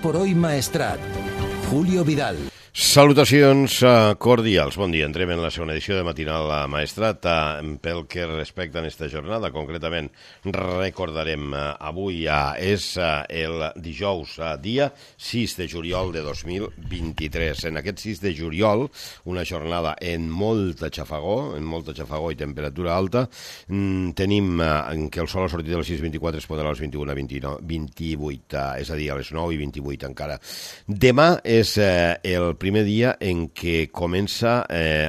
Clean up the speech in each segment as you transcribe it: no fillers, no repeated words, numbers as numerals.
por hoy Maestrat. Julio Vidal. Salutacions cordials. Bon dia. Entrem en la segona edició de Matinal Maestrat. Pel que respecta a aquesta jornada, concretament recordarem avui és el dijous, dia 6 de juliol de 2023. En aquest 6 de juliol, una jornada en molta xafagó i temperatura alta. Tenim que el sol ha sortit a les 6:24, es pondrà a les 21:28, és a dir, a les 9:28 encara. Demà és el primer dia en què comença,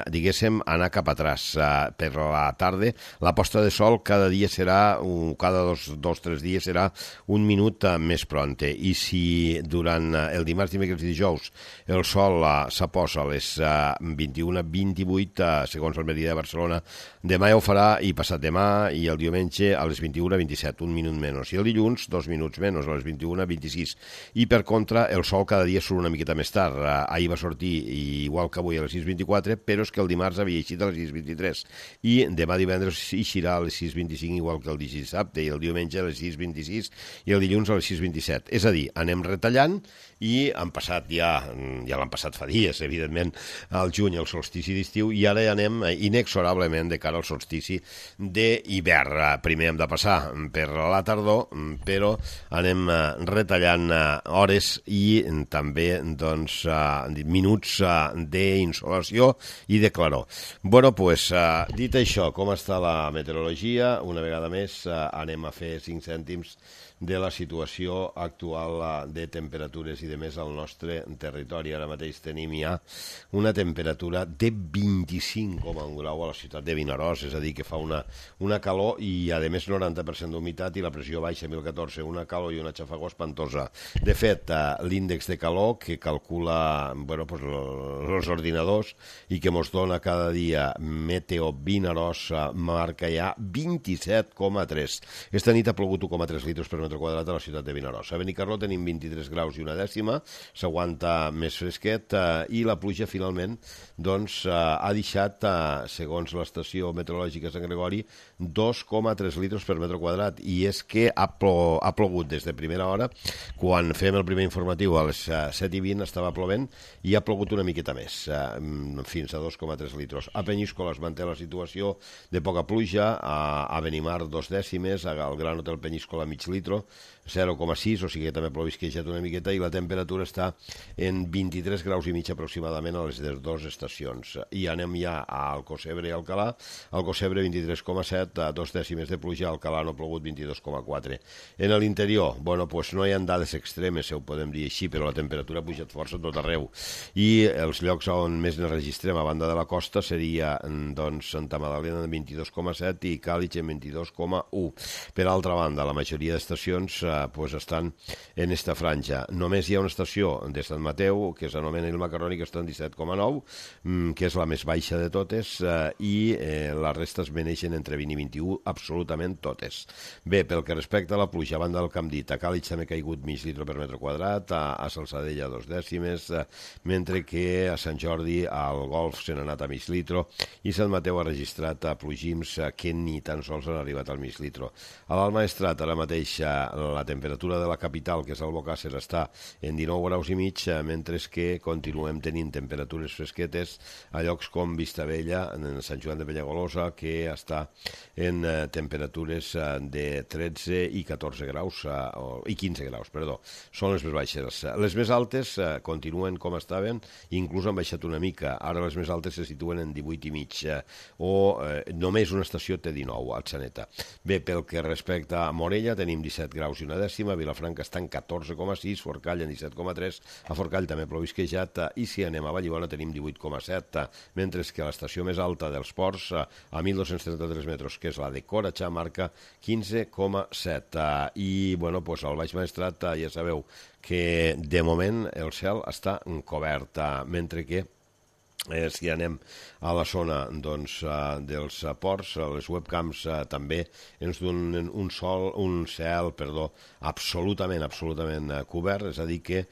diguéssim, a anar cap atrás. Per la tarda, la posta de sol cada dia serà, cada dos, 3 dies serà un minut més pronte. I si durant el dimarts, dimecres i dijous el sol s'aposa a les 21:28, segons el Meridià de Barcelona, demà ja ho farà, i passat demà i el diumenge a les 21:27, un minut menys. I el dilluns, 2 minuts menys, a les 21:26. I per contra, el sol cada dia surt una miqueta més tard. Ahir va sortir igual que avui a les 6:24, però és que el dimarts havia eixit a les 6:23 i demà divendres eixirà a les 6:25 igual que el dissabte, i el diumenge a les 6:26 i el dilluns a les 6:27. És a dir, anem retallant, i han passat ja l'han passat fa dies, evidentment, al juny, el solstici d'estiu, i ara ja anem inexorablement de cara al solstici d'hivern. Primer hem de passar per la tardor, però anem retallant hores i també minuts d'insolació i de claror. Bueno, pues, dit això, com està la meteorologia? Una vegada més anem a fer 5 cèntims de la situació actual de temperatures i de més al nostre territori. Ara mateix tenim ja una temperatura de 25,1 grau a la ciutat de Vinaròs, és a dir, que fa una calor i, a més, 90% d'humitat i la pressió baixa, 1014, una calor i una xafagó espantosa. De fet, l'índex de calor que calcula els ordinadors i que ens dona cada dia Meteo Vinaròs marca ja 27,3. Esta nit ha plogut 1,3 litres per metre quadrat a la ciutat de Vinaròs. A Benicarló tenim 23 graus i una dècima, s'aguanta més fresquet, i la pluja finalment ha deixat, segons l'estació meteorològica Sant Gregori, 2,3 litres per metre quadrat, i és que ha plogut des de primera hora. Quan fem el primer informatiu a les 7:20 estava plovent i ha plogut una miqueta més, fins a 2,3 litres. A Penyíscola es manté la situació de poca pluja, a Benimar 2 dècimes, al Gran Hotel Penyíscola mig litro, 0,6, o sigui que també plovisquejat una miqueta, i la temperatura està en 23 graus i mig aproximadament a les dues estacions. I anem ja a Alcocebre i Alcalà. Alcocebre 23,7, 2 dècimes de pluja, a Alcalà no ha plogut, 22,4. En l'interior, no hi ha dades extremes, ho podem dir així, però la temperatura ha pujat força a tot arreu. I els llocs on més ne registrem a banda de la costa seria Santa Magdalena en 22,7 i Càlig en 22,1. Per altra banda, la majoria d'estacions estan en esta franja. Només hi ha una estació de Sant Mateu, que s'anomena el Macarroni, que està en 17,9, que és la més baixa de totes, i les restes veneixen entre 20 i 21, absolutament totes. Bé, pel que respecta a la pluja, a banda del que hem dit, a Càlig també ha caigut mig litre per metre quadrat, a Salsadella 2 dècimes, mentre que a Sant Jordi al Golf se n'ha anat a mig litre, i Sant Mateu ha registrat plugims que ni tan sols han arribat al mig litre. A l'Alt Maestrat, ara mateix, la temperatura de la capital, que és Albocàsser, està en 19 graus i mig, mentre que continuem tenint temperatures fresquetes a llocs com Vistabella, en Sant Joan de Penyagolosa, que està en temperatures de 13 i 14 graus, i 15 graus, perdó. Són les més baixes. Les més altes continuen com estaven, inclús han baixat una mica. Ara les més altes se situen en 18 i mig, o només una estació té 19, a Atzeneta. Bé, pel que respecta a Morella, tenim 17 graus i una dècima, Vilafranca està en 14,6, Forcall en 17,3, a Forcall també plovisquejat, i si anem a Vallibona tenim 18,7, mentre que a l'estació més alta dels Ports, a 1.233 metres, que és la de Coratxà, marca 15,7. I, al Baix Maestrat ja sabeu que de moment el cel està cobert, mentre que si anem a la zona dels ports, les webcams també ens donen un cel absolutament cobert, és a dir que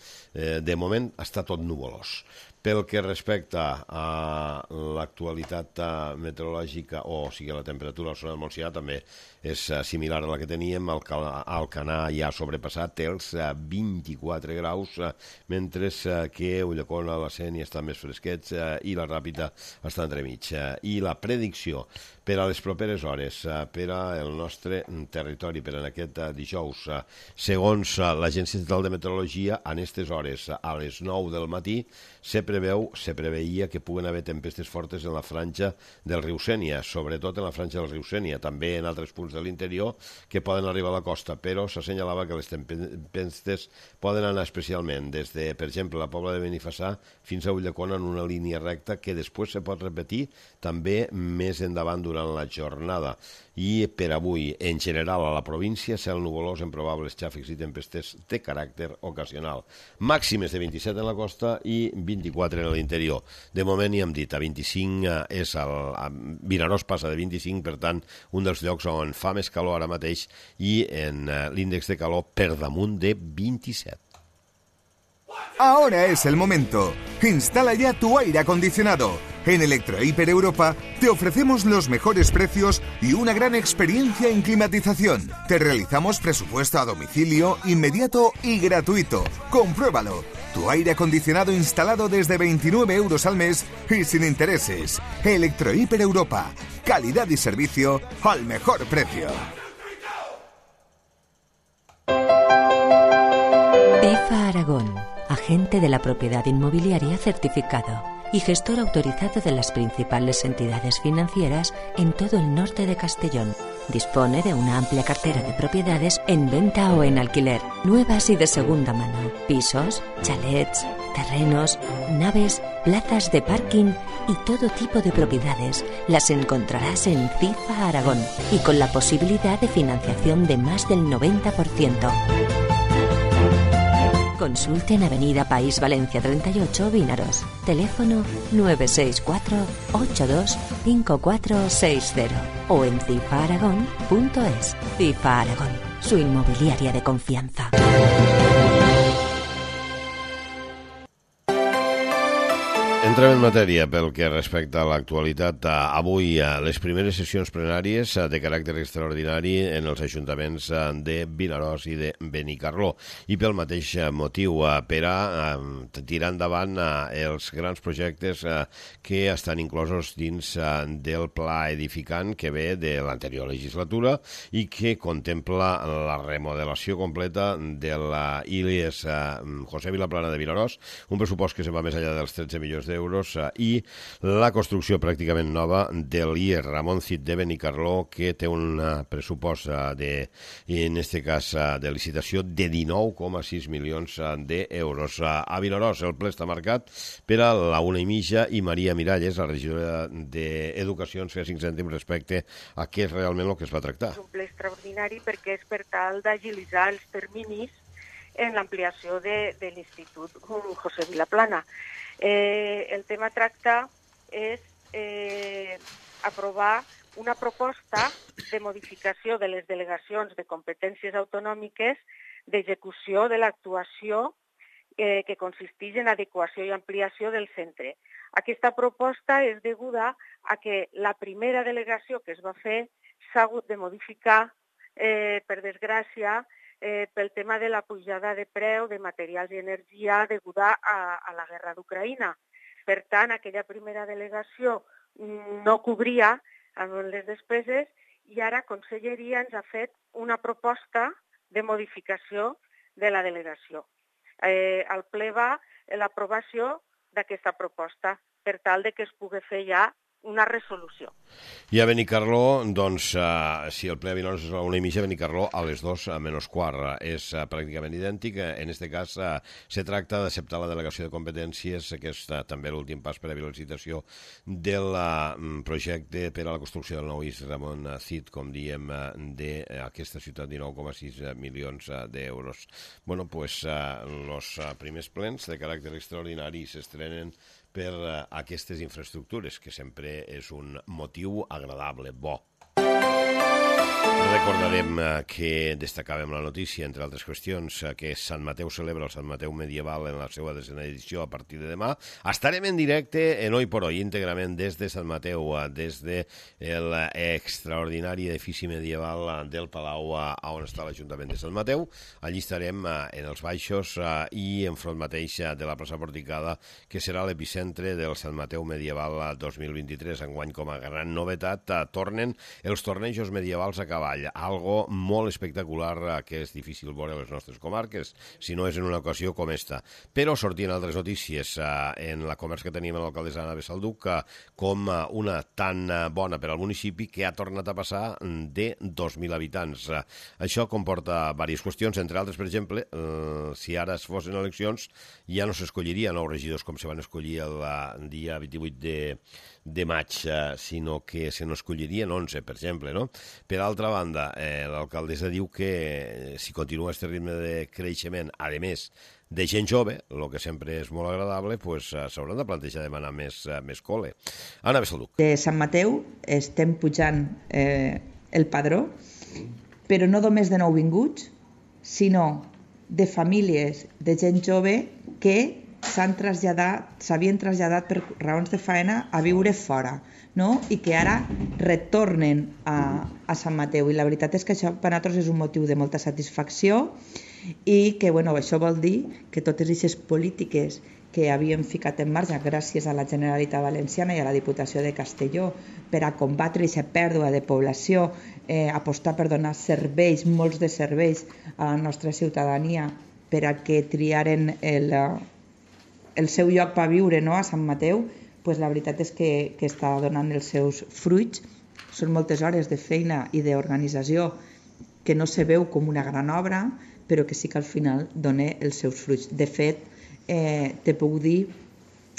de moment està tot nuvolós. Pel que respecta a l'actualitat meteorològica, o sigui, la temperatura al Son del Montsià també és similar a la que teníem. Alcanar ja ha sobrepassat els 24 graus, mentre que Ulldecona, la Sénia estan més fresquets i la Ràpita està entremig. I la predicció per a les properes hores, per al nostre territori, per en aquest dijous, segons l'Agència Estatal de Meteorologia, en aquestes hores, a les 9 del matí, se preveia que puguen haver tempestes fortes en la franja del riu Sénia, sobretot en la franja del riu Sénia, també en altres punts de l'interior que poden arribar a la costa, però s'assenyalava que les tempestes poden anar especialment des de, per exemple, la Pobla de Benifassà fins a Ulldecona en una línia recta que després se pot repetir també més endavant durant la jornada. I per avui, en general, a la província, cel nuvolós amb probables xàfecs i tempestes de caràcter ocasional. Màximes de 27 en la costa i 24 en l'interior. De moment hi hem dit, a 25 Vinaròs passa de 25, per tant, un dels llocs on fa més calor ara mateix, i en l'índex de calor per damunt de 27. Ahora es el momento. Instala ya tu aire acondicionado. En Electrohiper Europa te ofrecemos los mejores precios y una gran experiencia en climatización. Te realizamos presupuesto a domicilio, inmediato y gratuito. Compruébalo. Tu aire acondicionado instalado desde 29 euros al mes y sin intereses. Electrohiper Europa. Calidad y servicio al mejor precio. EFA Aragón, agente de la propiedad inmobiliaria certificado y gestor autorizado de las principales entidades financieras en todo el norte de Castellón. Dispone de una amplia cartera de propiedades en venta o en alquiler, nuevas y de segunda mano, pisos, chalets, terrenos, naves, plazas de parking y todo tipo de propiedades. Las encontrarás en CIFA Aragón y con la posibilidad de financiación de más del 90%. Consulte en Avenida País Valencia 38, Vinaròs. Teléfono 964-825460 o en cifaaragón.es. CIFA Aragón, su inmobiliaria de confianza. Entrem en matèria pel que respecta a l'actualitat. Avui les primeres sessions plenàries de caràcter extraordinari en els ajuntaments de Vinaròs i de Benicarló. I pel mateix motiu, per a tirar endavant els grans projectes que estan inclosos dins del pla edificant que ve de l'anterior legislatura i que contempla la remodelació completa de la ILES José Vilaplana de Vinaròs, un pressupost que se va més enllà dels 13 milions d'euros, i la construcció pràcticament nova de l'IES Ramon Cid de Benicarló, que té un pressupost en aquest cas de licitació de 19,6 milions d'euros. A Vinaròs el ple està marcat per a la 1:30 i Maria Miralles, la regidora d'Educació, ens feia 5 cèntims respecte a què és realment el que es va tractar. És un ple extraordinari perquè és per tal d'agilitzar els terminis en l'ampliació de l'Institut José Vilaplana. El tema tracta és aprovar una proposta de modificació de les delegacions de competències autonòmiques d'execució de l'actuació que consisteix en adequació i ampliació del centre. Aquesta proposta és deguda a que la primera delegació que es va fer s'ha hagut de modificar, per desgràcia, pel tema de la pujada de preu de materials i energia deguda a la guerra d'Ucraïna. Per tant, aquella primera delegació no cobria les despeses i ara Conselleria ens ha fet una proposta de modificació de la delegació. Al ple va l'aprovació d'aquesta proposta per tal de que es pugui fer ja una resolució. I a Benicarló, doncs, si el ple a Vinaròs és a la 1:30, Benicarló a les 2:15. És pràcticament idèntic. En aquest cas, se tracta d'acceptar la delegació de competències, que és també l'últim pas per a la licitació del projecte per a la construcció del nou IES Ramon Cid, com diem, d'aquesta ciutat, 19,6 milions d'euros. Bueno, doncs, els primers plens de caràcter extraordinari s'estrenen per aquestes infraestructures, que sempre és un motiu agradable, bo. Recordarem que destacàvem la notícia, entre altres qüestions, que Sant Mateu celebra el Sant Mateu medieval en la seva 10ª edició a partir de demà. Estarem en directe en Hoy por Hoy, íntegrament des de Sant Mateu, des de l'extraordinari edifici medieval del Palau on està l'Ajuntament de Sant Mateu. Allí estarem en els baixos i enfront mateix de la plaça Porticada, que serà l'epicentre del Sant Mateu medieval 2023. Enguany, com a gran novetat, tornen els tornejos medievals a cavall, algo molt espectacular que és difícil veure a les nostres comarques, si no és en una ocasió com esta. Però sortien altres notícies en la conversa que teníem amb l'alcaldessa Anna Besalduc com una tan bona per al municipi que ha tornat a passar de 2.000 habitants. Això comporta diverses qüestions, entre altres, per exemple, si ara es fossin eleccions ja no s'escolliria 9 regidors com se van escollir el dia 28 de maig, sinó que se n'escollirien 11, per exemple, no? Per altra banda, l'alcaldessa diu que si continua aquest ritme de creixement, a més de gent jove, el que sempre és molt agradable, pues, s'hauran de plantejar demanar més col·le. Anna Besalduc. De Sant Mateu estem pujant el padró, però no només de nouvinguts, sinó de famílies de gent jove que s'havien traslladat per raons de faena a viure fora, no? I que ara retornen a Sant Mateu. I la veritat és que això per a nosaltres és un motiu de molta satisfacció i que això vol dir que totes aquestes polítiques que havíem ficat en marxa gràcies a la Generalitat Valenciana i a la Diputació de Castelló per a combatre aquesta pèrdua de població, apostar per donar serveis, molts de serveis a la nostra ciutadania per a que triaren el seu lloc per viure, no? A Sant Mateu, pues la veritat és que està donant els seus fruits. Són moltes hores de feina i d'organització que no se veu com una gran obra, però que sí que al final dona els seus fruits. De fet, te puc dir,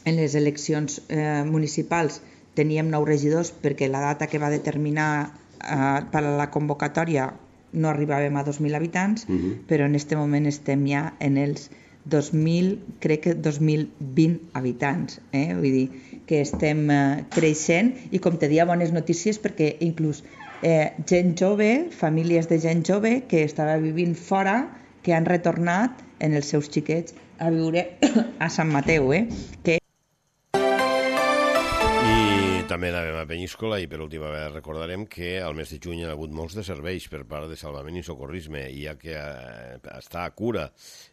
en les eleccions municipals teníem 9 regidors perquè la data que va determinar per a la convocatòria no arribàvem a 2.000 habitants, però en aquest moment estem ja en els 2.000, crec que 2.020 habitants. Vull dir que estem creixent i, com te dia, bones notícies perquè inclús gent jove, famílies de gent jove que estava vivint fora, que han retornat en els seus xiquets a viure a Sant Mateu, que també anàvem a Peníscola i per última vegada recordarem que al mes de juny hi ha hagut molts de serveis per part de salvament i socorrisme, ja que està a cura,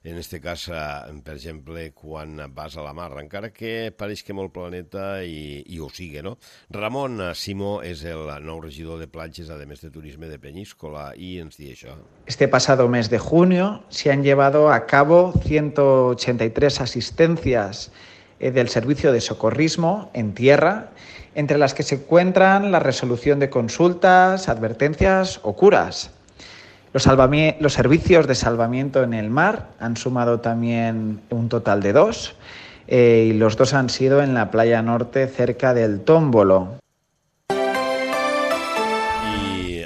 en aquest cas, per exemple, quan vas a la mar, encara que pareix que molt planeta i ho sigui, no? Ramon Simó és el nou regidor de platges, a més de turisme de Peníscola, i ens diu això. Este pasado mes de junio se han llevado a cabo 183 asistencias del servicio de socorrismo en tierra, entre las que se encuentran la resolución de consultas, advertencias o curas. Los servicios de salvamiento en el mar han sumado también un total de 2 y los 2 han sido en la playa norte cerca del Tómbolo.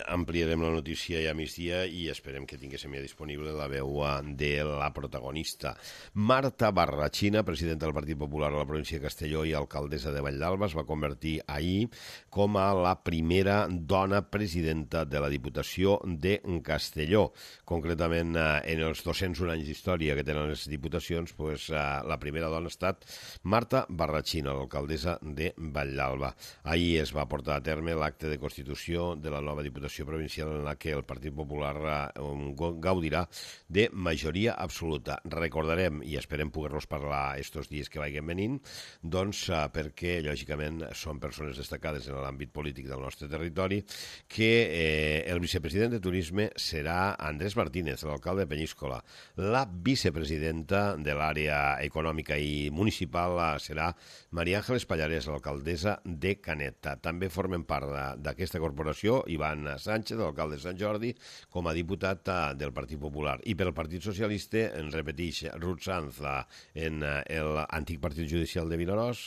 Ampliarem la notícia ja a migdia i esperem que tinguéssim ja disponible la veu de la protagonista. Marta Barrachina, presidenta del Partit Popular a la província de Castelló i alcaldessa de Valldalba, es va convertir ahir com a la primera dona presidenta de la Diputació de Castelló. Concretament, en els 201 anys d'història que tenen les diputacions, la primera dona ha estat Marta Barrachina, l'alcaldessa de Valldalba. Ahir es va portar a terme l'acte de constitució de la nova Diputació provincial en la que el Partit Popular gaudirà de majoria absoluta. Recordarem, i esperem poder-los parlar estos dies que vagin venint, doncs perquè, lògicament, són persones destacades en l'àmbit polític del nostre territori, que el vicepresident de Turisme serà Andrés Martínez, l'alcalde de Peníscola. La vicepresidenta de l'àrea econòmica i municipal serà Maria Ángeles Pallarès, l'alcaldessa de Canet. També formen part d'aquesta corporació Ivan Sánchez, l'alcalde de Sant Jordi, com a diputat del Partit Popular. I pel Partit Socialista, en repeteix, Ruth Sanz en l'antic Partit Judicial de Vinaròs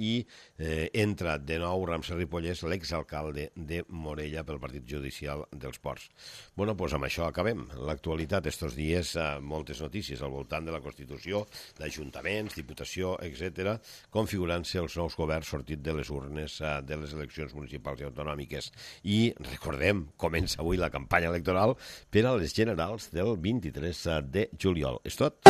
i entra de nou Ramsey Ripollès, l'exalcalde de Morella pel Partit Judicial dels Ports. Bueno, doncs amb això acabem. L'actualitat estos dies, moltes notícies al voltant de la Constitució, d'ajuntaments, diputació, etc., configurant-se els nous governs sortits de les urnes de les eleccions municipals i autonòmiques. I recordem, com comença avui la campanya electoral per a les generals del 23 de juliol. És tot.